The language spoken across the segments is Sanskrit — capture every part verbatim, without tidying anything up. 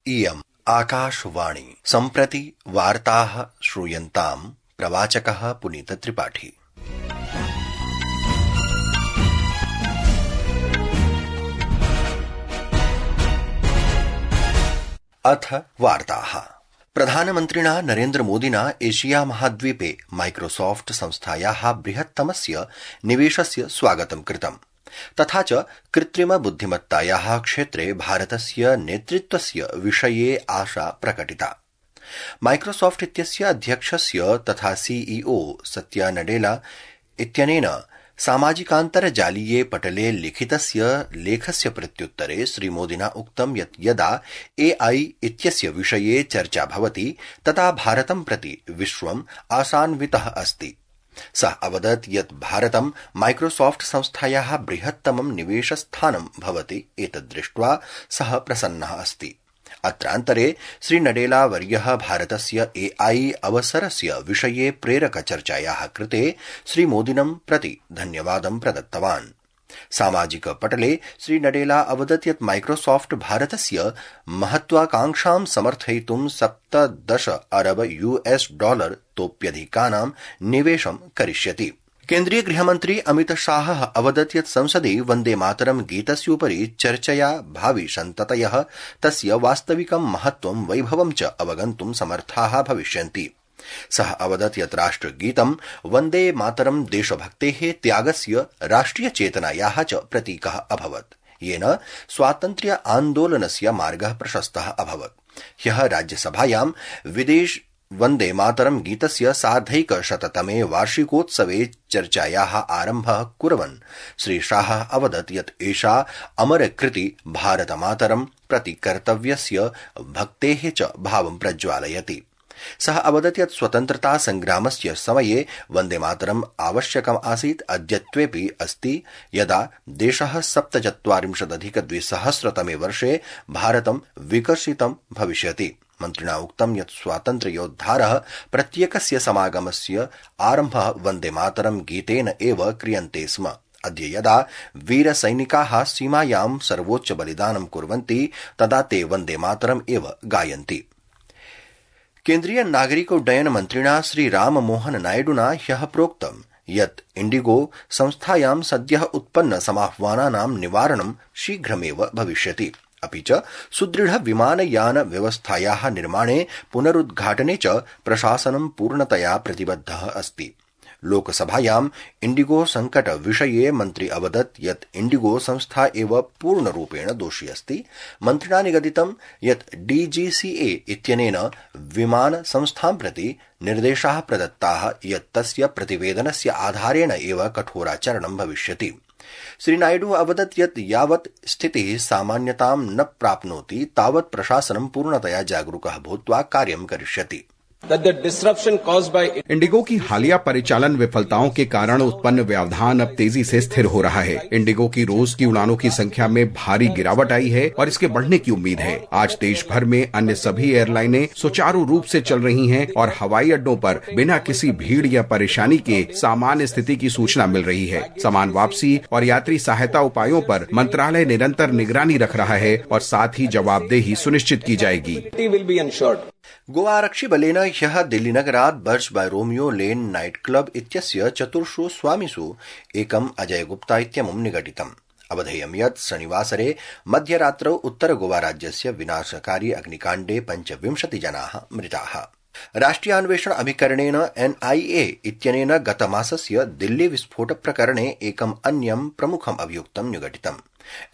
इयम् आकाशवाणी। सम्प्रति वार्ताः श्रूयन्ताम्। प्रवाचकः पुनीत त्रिपाठी। अथ वार्ताः। प्रधानमन्त्रिणा नरेन्द्र मोदिना एशिया महाद्वीपे माइक्रोसॉफ्ट संस्थायाः बृहत्तमस्य निवेशस्य स्वागतं कृतम्। तथा च कृत्रिम बुद्धिमत्तायाः क्षेत्रे भारतस्य नेतृत्वस्य विषये आशा प्रकटिता। माइक्रोसॉफ्ट इत्यस्य अध्यक्षस्य तथा सीईओ सत्या नडेला इत्यनेन सामाजिकान्तर्जालीये पटले लिखितस्य लेखस्य प्रत्युत्तरे श्रीमोदिना उक्तं यत् यदा एआई इत्यस्य विषये चर्चा भवति तदा भारतं प्रति विश्वम् आशान्वितः अस्ति। सः अवदत् यत् भारतं माइक्रोसॉफ्ट संस्थायाः बृहत्तमं निवेशस्थानं भवति। एतद्दृष्ट्वा सः प्रसन्नः अस्ति। अत्रान्तरे श्रीनडेला वर्यः भारतस्य एआई अवसरस्य विषये प्रेरक चर्चायाः कृते श्रीमोदिनं प्रति धन्यवादं प्रदत्तवान्। सामाजिक पटले श्रीनडेला अवदत् यत् माइक्रोसॉफ्ट भारतस्य महत्वाकांक्षां समर्थयितुं सप्तदश अरब यूएस डॉलर तोप्यधिकानां निवेशं करिष्यति। केन्द्रीय गृहमन्त्री अमित शाहः अवदत् यत् संसदि वन्दे मातरं गीतस्योपरि चर्चया भावि सन्ततयः तस्य वास्तविकं महत्वं वैभवं च अवगन्तुं समर्थाः भविष्यन्ति। सः अवदत् यत् राष्ट्रगीतं वन्दे मातरं देशभक्तेः त्यागस्य राष्ट्रिय चेतनायाः च प्रतीकः अभवत्, येन स्वातन्त्र्य आन्दोलनस्य मार्गः प्रशस्तः अभवत्। ह्यः राज्यसभायां विदेश वन्दे मातरं गीतस्य सार्धैकशततमे वार्षिकोत्सवे चर्चायाः आरम्भः कुर्वन् श्रीशाहः अवदत् यत् एषा अमरकृति भारतमातरं प्रति कर्तव्यस्य भक्तेः च भावं प्रज्वालयति। सः अवदत् यत् स्वतन्त्रता संग्रामस्य समये वन्दे मातरम् आवश्यकम् आसीत्, अद्यत्वेऽपि अस्ति, यदा देशः सप्तचत्वारिंशदधिक द्विसहस्रतमे वर्षे भारतं विकसितं भविष्यति। मन्त्रिणा उक्तं यत् स्वातन्त्र्ययोद्धारः प्रत्येकस्य समागमस्य आरम्भः वन्दे मातरं गीतेन एव क्रियन्ते स्म। अद्य यदा वीरसैनिकाः सीमायां सर्वोच्च बलिदानं कुर्वन्ति तदा ते वन्दे मातरम् एव गायन्ति। केन्द्रीय नागरिकोड्डयन मन्त्रिणा श्रीराममोहन नायडुना ह्यः प्रोक्तं यत् इण्डिगो संस्थायां सद्यः उत्पन्न समाह्वानानां निवारणं शीघ्रमेव भविष्यति। अपि च सुदृढ विमानयान व्यवस्थायाः निर्माणे पुनरुद्घाटने च प्रशासनं पूर्णतया प्रतिबद्धः अस्ति। लोकसभायां इण्डिगो संकट विषये मन्त्री अवदत् यत् इण्डिगो संस्था एव पूर्णरूपेण दोषी अस्ति। मन्त्रिणा निगदितं यत् डीजीसीए इत्यनेन विमान संस्थां प्रति निर्देशाः प्रदत्ताः यत् तस्य प्रतिवेदनस्य आधारेण एव कठोराचरणं भविष्यति। श्रीनायडू अवदत् यत् यावत् स्थितिः सामान्यतां न प्राप्नोति तावत् प्रशासनं पूर्णतया जागरूकः भूत्वा कार्यं करिष्यति। इंडिगो की हालिया परिचालन विफलताओं के कारण उत्पन्न व्यवधान अब तेजी से स्थिर हो रहा है। इंडिगो की रोज की उड़ानों की संख्या में भारी गिरावट आई है और इसके बढ़ने की उम्मीद है। आज देश भर में अन्य सभी एयरलाइनें सुचारू रूप से चल रही हैं और हवाई अड्डों पर बिना किसी भीड़ या परेशानी के सामान्य स्थिति की सूचना मिल रही है। सामान वापसी और यात्री सहायता उपायों पर मंत्रालय निरंतर निगरानी रख रहा है और साथ ही जवाबदेही सुनिश्चित की जाएगी। गोवा आरक्षि बलेन ह्यः दिल्लीनगरात् Birch by Romeo Lane night club इत्यस्य चतुर्षु स्वामिषु एकम् अजय गुप्ता इत्यमुं निगडितम्। अवधेयं यत् शनिवासरे मध्यरात्रौ उत्तर गोवा राज्यस्य विनाशकारी अग्निकाण्डे पञ्चविंशति जनाः मृताः। राष्ट्रियान्वेषण अभिकरणेन एनआईए इत्यनेन गतमासस्य दिल्ली विस्फोट प्रकरणे एकम् अन्यं प्रमुखम् अभियुक्तं निगडितम्।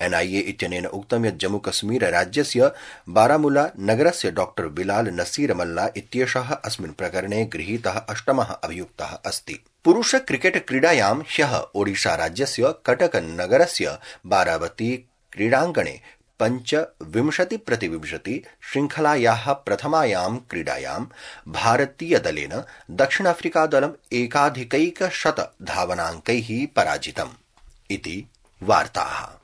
एनआईए इत्यनेन उक्तं यत् जम्मू कश्मीर राज्यस्य बारामुला नगरस्य डॉक्टर बिलाल नसीर मल्ला इत्येषः अस्मिन् प्रकरणे गृहीतः अष्टमः अभियुक्तः अस्ति। पुरुष क्रिकेट क्रीडायां ह्यः ओडिशा राज्यस्य कटक नगरस्य बारावती क्रीडाङ्गणे पञ्चविंशति प्रतिविंशति श्रृंखलायाः प्रथमायां क्रीडायां भारतीयदलेन दक्षिणाफ्रिकादलम् एकाधिकैकशत धावनाङ्कैः पराजितम् इति वार्ताः।